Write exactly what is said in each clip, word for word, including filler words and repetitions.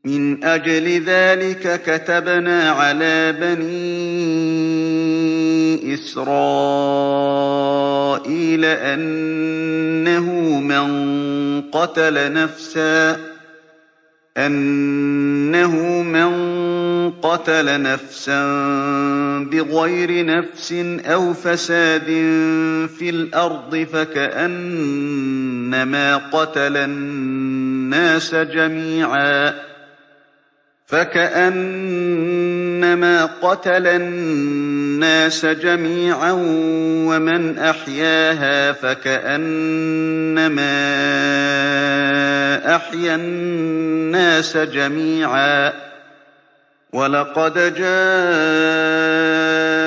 من أجل ذلك كتبنا على بني إسرائيل أنه من قتل نفسا أنه من قتل نفسا بغير نفس أو فساد في الأرض فكأنما قتل الناس جميعا فكأنما قتل الناس جميعا ومن أحياها فكأنما أحيا الناس جميعا ولقد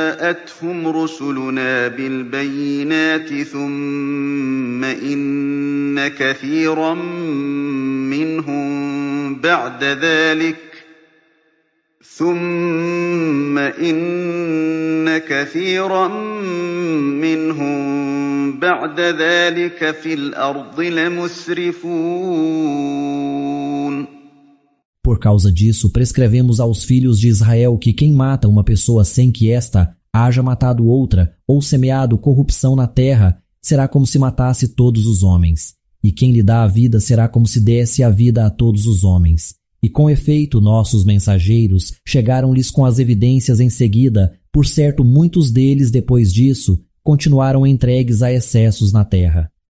جاءتهم رسلنا بالبينات ثم إن كثيرا منهم بعد ذلك ثم إن كثيرا منهم بعد ذلك في الأرض لمسرفون. Por causa disso, prescrevemos aos filhos de Israel que quem mata uma pessoa sem que esta haja matado outra ou semeado corrupção na terra, será como se matasse todos os homens. E quem lhe dá a vida será como se desse a vida a todos os homens. E com efeito nossos mensageiros chegaram-lhes com as evidências em seguida, por certo muitos deles depois disso continuaram entregues a excessos na terra.